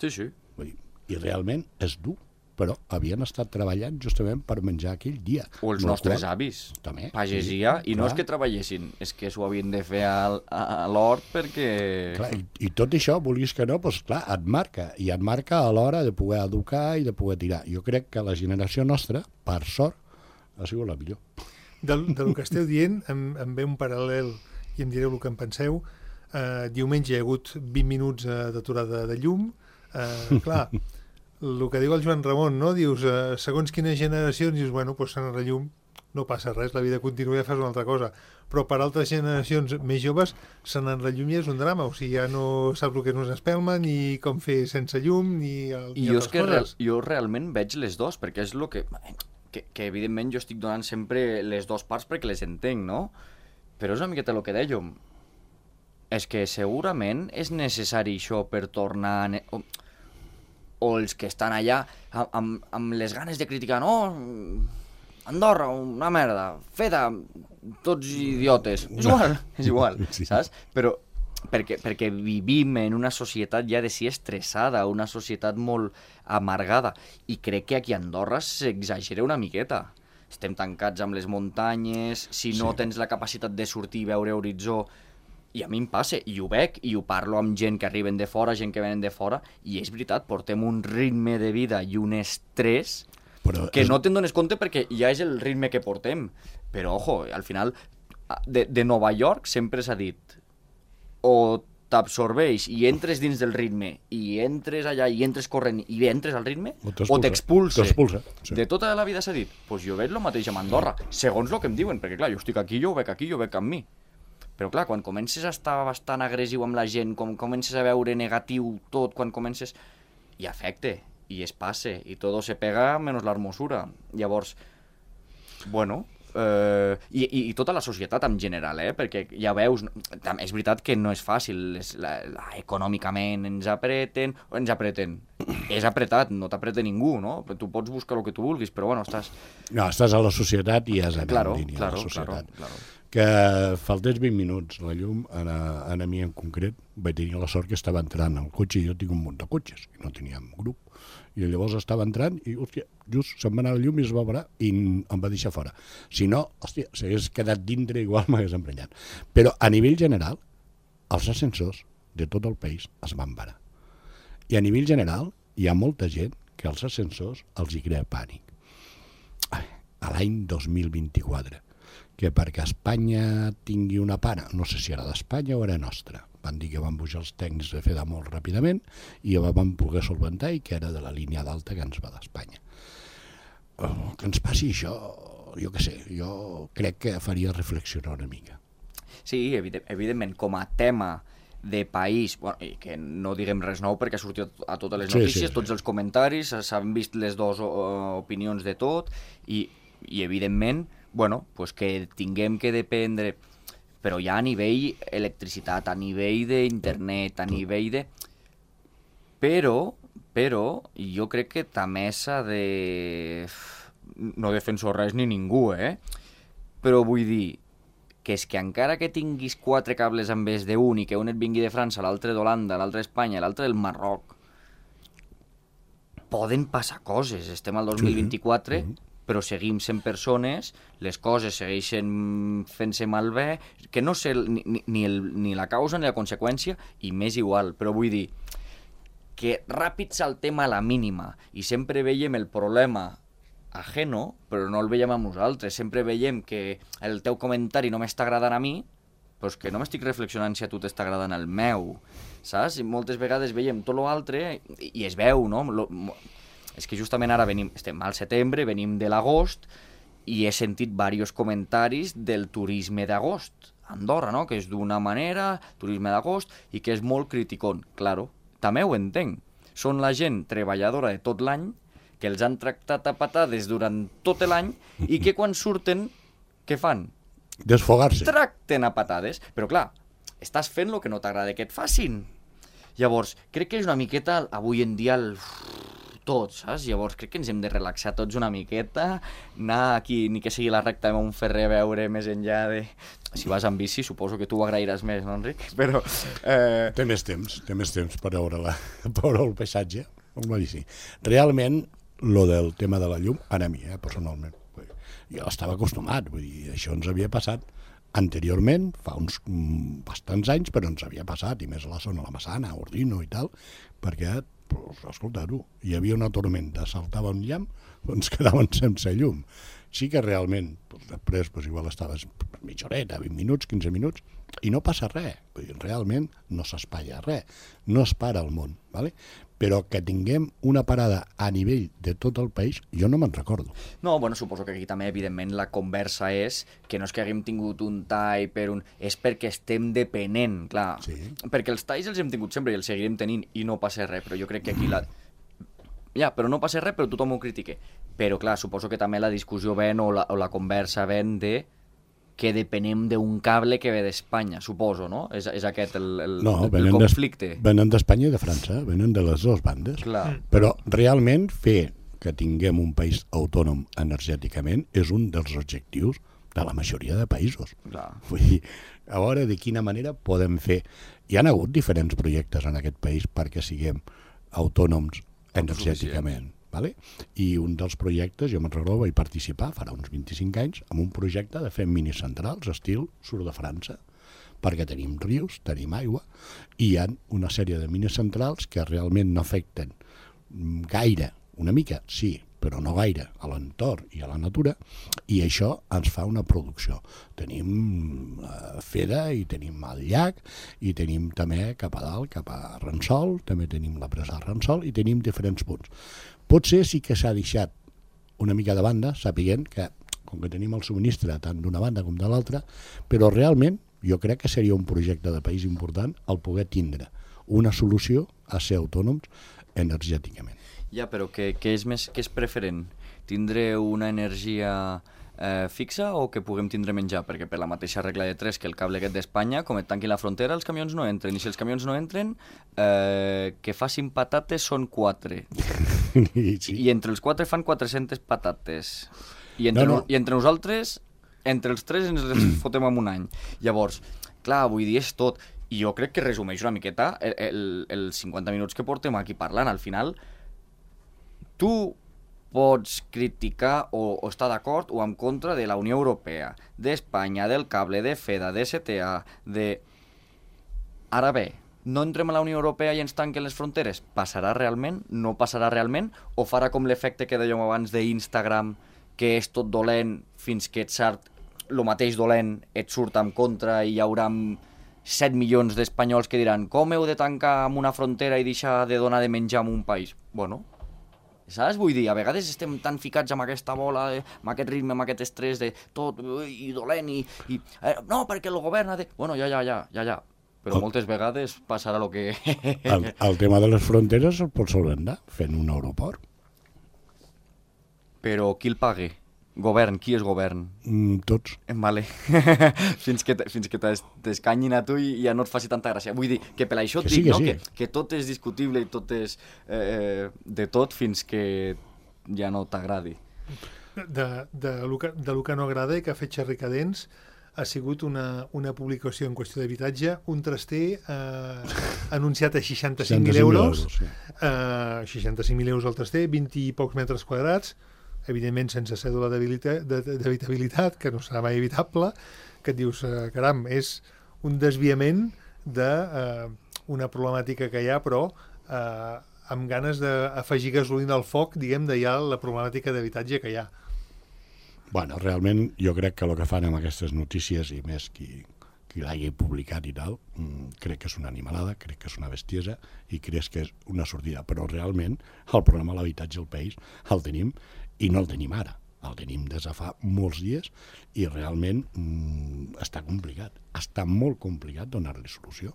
Sí.
Vull dir, i realment és dur. però havien estat treballant justament per menjar aquell dia.
O els nostres avis,
també,
pagesia,
sí,
i no és que treballessin, és que s'ho havien de fer a l'hort perquè...
Clar, i tot això, vulguis que no, doncs clar, et marca, i et marca a l'hora de poder educar i de poder tirar. Jo crec que la generació nostra, per sort, ha sigut la millor.
Del que esteu dient, em ve un paral·lel i em direu el que en penseu. Diumenge hi ha hagut 20 minuts d'aturada de llum. Clar, el que diu el Joan Ramon, no? Dius, segons quines generacions, dius, bueno, doncs s'han la llum, no passa res, la vida continua i ja fas una altra cosa. Però per altres generacions més joves, se'n la llum ja és un drama, o sigui, ja no saps el que és una espelma, ni com fer sense llum, ni altres coses.
Jo realment veig les dues, perquè és el que evidentment jo estic donant sempre les dues parts perquè les entenc, no? Però és una miqueta el que dèiem. És que segurament és necessari això per tornar... O els que estan allà amb les ganes de criticar, no, Andorra, una merda, feta, tots idiotes. És igual,
sí.
Saps? Però perquè vivim en una societat ja de si estressada, una societat molt amargada, i crec que aquí a Andorra s'exagera una miqueta. Estem tancats amb les muntanyes, si no tens la capacitat de sortir i veure horitzó. I a mi em passa, i ho veig, i ho parlo amb gent que arriben de fora, gent que venen de fora, i és veritat, portem un ritme de vida i un estrès que no te'n dones compte perquè ja és el ritme que portem. Però, ojo, al final, de Nova York sempre s'ha dit, o t'absorbeix i entres dins del ritme, i entres allà, i entres corrent, i entres al ritme, o t'expulsa.
Sí.
De tota la vida s'ha dit, doncs jo veig el mateix amb Andorra, segons el que em diuen, perquè clar, jo estic aquí, jo ho veig aquí, jo ho veig amb mi. Però clar, quan comences a estar bastant agressiu amb la gent, quan comences a veure negatiu tot, quan comences... i afecte, i es passe, i tot se pega menys l'hermosura. Llavors, bueno, i tota la societat en general, perquè ja veus, és veritat que no és fàcil, econòmicament ens apreten, és apretat, no t'apreta ningú, no? Tu pots buscar el que tu vulguis, però bueno, estàs...
No, estàs a la societat i has d'anar en línia a la societat.
Claro.
Que faltés 20 minuts la llum, a mi en concret, vaig tenir la sort que estava entrant al cotxe, i jo tinc un munt de cotxes, i no teníem grup, i llavors estava entrant, i hòstia, just se'm va anar la llum i es va parar, i em va deixar fora. Si no, hòstia, s'hagués quedat dintre, igual m'hagués emprenyat. Però a nivell general, els ascensors de tot el país es van parar. I a nivell general, hi ha molta gent que els ascensors els hi crea pànic. A l'any 2024, que perquè Espanya tingui una para, no sé si era d'Espanya o era nostra, van dir que van pujar els tècnics de fer de molt ràpidament i van poder solventar i que era de la línia d'alta que ens va d'Espanya. Que ens passi això, jo què sé, jo crec que faria reflexionar una mica.
Sí, evidentment, com a tema de país, bueno, i que no diguem res nou perquè ha sortit a totes les notícies, sí. Tots els comentaris, s'han vist les dues opinions de tot, i evidentment, bueno, pues que tinguem que dependre, però ja a nivell electricitat, a nivell d'internet, a nivell de... Però jo crec que també s'ha de... No defenso res ni ningú, però vull dir que és que encara que tinguis 4 cables en vez d'un i que un et vingui de França, l'altre d'Holanda, l'altre d'Espanya, l'altre del Marroc, poden passar coses. Estem al 2024... però seguim sent persones, les coses segueixen fent-se malbé, que no sé ni la causa ni la conseqüència, i m'és igual, però vull dir que ràpid saltem a la mínima, i sempre veiem el problema ajeno, però no el veiem amb nosaltres, sempre veiem que el teu comentari no m'està agradant a mi, però és que no m'estic reflexionant si a tu t'està agradant el meu, saps? I moltes vegades veiem tot l'altre, i es veu, no? És que justament ara estem al setembre, venim de l'agost, i he sentit diversos comentaris del turisme d'agost a Andorra, no? Que és d'una manera, turisme d'agost, i que és molt criticón. Claro, també ho entenc. Són la gent treballadora de tot l'any, que els han tractat a patades durant tot l'any, i que quan surten, què fan?
Desfogar-se.
Tracten a patades. Però clar, estàs fent el que no t'agrada que et facin. Llavors, crec que és una miqueta, avui en dia, tots, saps? Llavors crec que ens hem de relaxar tots una miqueta, anar aquí, ni que sigui la recta de Montferrer, a veure més enllà de... Si vas amb bici, suposo que tu ho agrairàs més, no, Enric? Però...
Té més temps per veure el paisatge amb la bici. Realment, lo del tema de la llum, ara a mi, personalment. Jo estava acostumat, vull dir, això ens havia passat anteriorment, fa uns bastants anys, però ens havia passat, i més a la zona de la Massana, Ordino i tal, perquè, escolta-ho, hi havia una tormenta, saltava un llamp, ens quedaven sense llum. Sí que realment, després igual estaves mitja horeta, 20 minuts, 15 minuts, i no passa res, realment no s'espatlla res, no es para el món, ¿vale? Però que tinguem una parada a nivell de tot el país, jo no me'n recordo.
No, bueno, suposo que aquí també, evidentment, la conversa és que no és que haguem tingut un tall per un... és perquè estem depenent, clar.
Sí.
Perquè els talls els hem tingut sempre i els seguirem tenint i no passa res, però jo crec que aquí la... Ja, però no passa res, però tothom ho critica. Però, clar, suposo que també la discussió ven o la conversa ven de que depenem d'un cable que ve d'Espanya, suposo, no? És aquest el conflicte.
Venen d'Espanya i de França, venen de les dues bandes.
Clar.
Però realment fer que tinguem un país autònom energèticament és un dels objectius de la majoria de països.
Clar.
Vull dir, a veure de quina manera podem fer... Hi ha hagut diferents projectes en aquest país perquè siguem autònoms energèticament. Vale? I un dels projectes, jo me'n recordo, vaig participar farà uns 25 anys en un projecte de fer minicentrals estil sud de França, perquè tenim rius, tenim aigua, i hi ha una sèrie de minicentrals que realment no afecten gaire, una mica, sí, però no gaire, a l'entorn i a la natura, i això ens fa una producció. Tenim Feda i tenim el llac, i tenim també cap a dalt, cap a Ransol, també tenim la presa de Ransol, i tenim diferents punts. Potser sí que s'ha deixat una mica de banda, sapiguent que, com que tenim el subministre tant d'una banda com de l'altra, però realment jo crec que seria un projecte de país important el poder tindre una solució a ser autònoms energèticament.
Ja, però què és preferent? Tindre una energia fixa o que puguem tindre menjar? Perquè per la mateixa regla de 3 que el cable aquest d'Espanya, com et tanquin la frontera, els camions no entren. I si els camions no entren, que facin patates són 4.
Sí.
I entre els 4 fan 400 patates. I entre nosaltres, entre els 3 ens les fotem en un any. Llavors, clar, vull dir, és tot. I jo crec que resumeix una miqueta els 50 minuts que portem aquí parlant. Al final, tu pots criticar o estar d'acord o en contra de la Unió Europea, d'Espanya, del cable, de Feda, de STA, de... Ara bé, no entrem a la Unió Europea i ens tanquen les fronteres? Passarà realment? No passarà realment? O farà com l'efecte que dèiem abans d'Instagram, que és tot dolent fins que et surt el mateix dolent, et surt en contra i hi haurà 7 milions d'espanyols que diran com heu de tancar amb una frontera i deixar de donar de menjar a un país? Bueno, saps? Vull dir, a vegades estem tan ficats amb aquesta bola, amb aquest ritme, amb aquest estrès de tot i dolent i no, perquè el govern ha de... Bueno, ja. Però moltes vegades passarà el que...
El tema de les fronteres el pots solventar fent un aeroport.
Però qui el paga? Govern, qui és govern?
Tots.
Vale. fins que t'escanyin a tu i ja no et faci tanta gràcia. Vull dir, que per això et dic, no? Que tot és discutible i tot és de tot fins que ja no t'agradi.
De lo que no agrada i que ha fet xerricadents ha sigut una publicació en qüestió d'habitatge, un traster anunciat a 65.000 euros, 65.000 euros al traster, 20 i pocs metres quadrats, evidentment sense cèdula d'habitabilitat, que no serà mai evitable, que et dius, caram, és un desviament d'una problemàtica que hi ha, però amb ganes d'afegir gasolina al foc, diguem, de ja la problemàtica d'habitatge que hi ha.
Bueno, realment jo crec que el que fan amb aquestes notícies, i més qui l'hagi publicat i tal, crec que és una animalada, crec que és una bestiesa i crec que és una sortida, però realment el problema de l'habitatge al país el tenim i no el tenim ara, el tenim des de fa molts dies i realment està complicat, està molt complicat donar-li solució.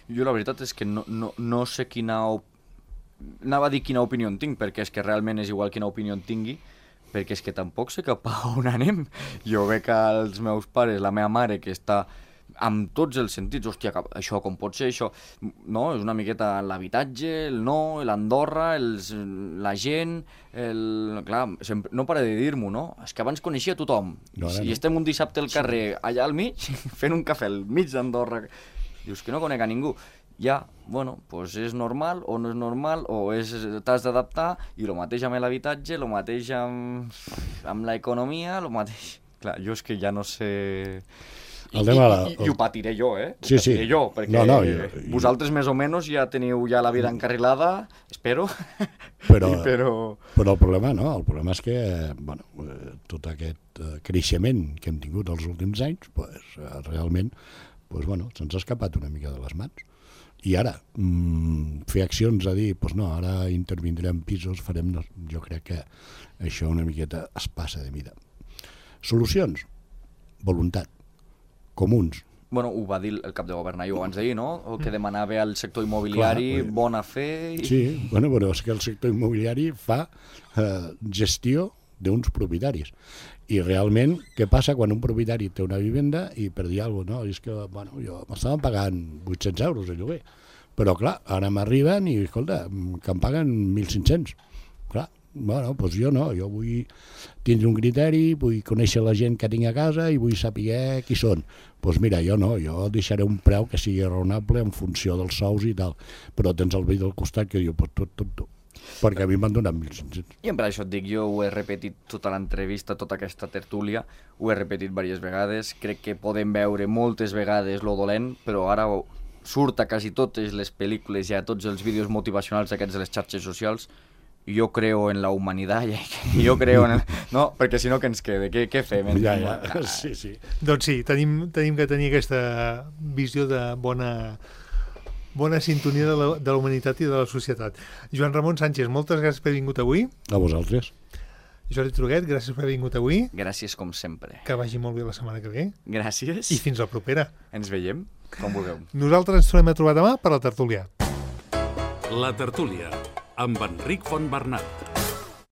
Jo la veritat és que no sé anava a dir quina opinió en tinc, perquè és que realment és igual quina opinió en tingui, perquè és que tampoc sé cap a on anem. Jo veig els meus pares, la meva mare, que està amb tots els sentits, hòstia, això com pot ser, això... No, és una miqueta l'habitatge, el no, l'Andorra, la gent... Clar, no para de dir-m'ho, no? És que abans coneixia tothom. I estem un dissabte al carrer, allà al mig, fent un cafè al mig d'Andorra. Dius que no conec a ningú. ja, bueno, pues és normal o no és normal, o t'has d'adaptar, i el mateix amb l'habitatge, el mateix amb l'economia, el mateix... Clar, jo és que ja no sé... I ho patiré jo,
Sí, sí.
Patiré jo, perquè vosaltres més o menys ja teniu ja la vida encarrilada, espero.
Però el problema no, el problema és que tot aquest creixement que hem tingut els últims anys, realment se'ns ha escapat una mica de les mans. I ara, fer accions a dir, no, ara intervindrem pisos, farem... Jo crec que això una miqueta es passa de mida. Solucions? Voluntat. Comuns.
Bueno, ho va dir el cap de govern ahir abans d'ahir, no? El que demanava al sector immobiliari, bona fe...
Sí, però és que el sector immobiliari fa gestió d'uns propietaris. I realment, què passa quan un propietari té una vivenda i per dir alguna cosa, no? És que, jo m'estaven pagant 800 euros de lloguer, però clar, ara m'arriben i, escolta, que em paguen 1.500. Clar, doncs jo no, jo vull tindre un criteri, vull conèixer la gent que tinc a casa i vull saber qui són. Doncs mira, jo no, jo deixaré un preu que sigui raonable en funció dels sous i tal, però tens el veí del costat que diu, tot, perquè a mi m'han donat 1.500.
I per això et dic, jo ho he repetit tota l'entrevista, tota aquesta tertúlia, ho he repetit diverses vegades, crec que podem veure moltes vegades lo dolent, però ara surt a quasi totes les pel·lícules i a tots els vídeos motivacionals aquests de les xarxes socials. Jo creo en la humanitat, jo creo en... No, perquè si no, què ens queda? Què fem?
Ja, sí.
Doncs sí, tenim que tenir aquesta visió de bona sintonia de la humanitat i de la societat. Joan Ramon Sánchez, moltes gràcies per haver vingut avui.
A vosaltres.
Jordi Truguet, gràcies per haver vingut avui.
Gràcies, com sempre.
Que vagi molt bé la setmana que ve.
Gràcies.
I fins la propera.
Ens veiem, com vulgueu.
Nosaltres ens tornem a trobar demà per la tertúlia.
La tertúlia, amb Enric Fontbernat.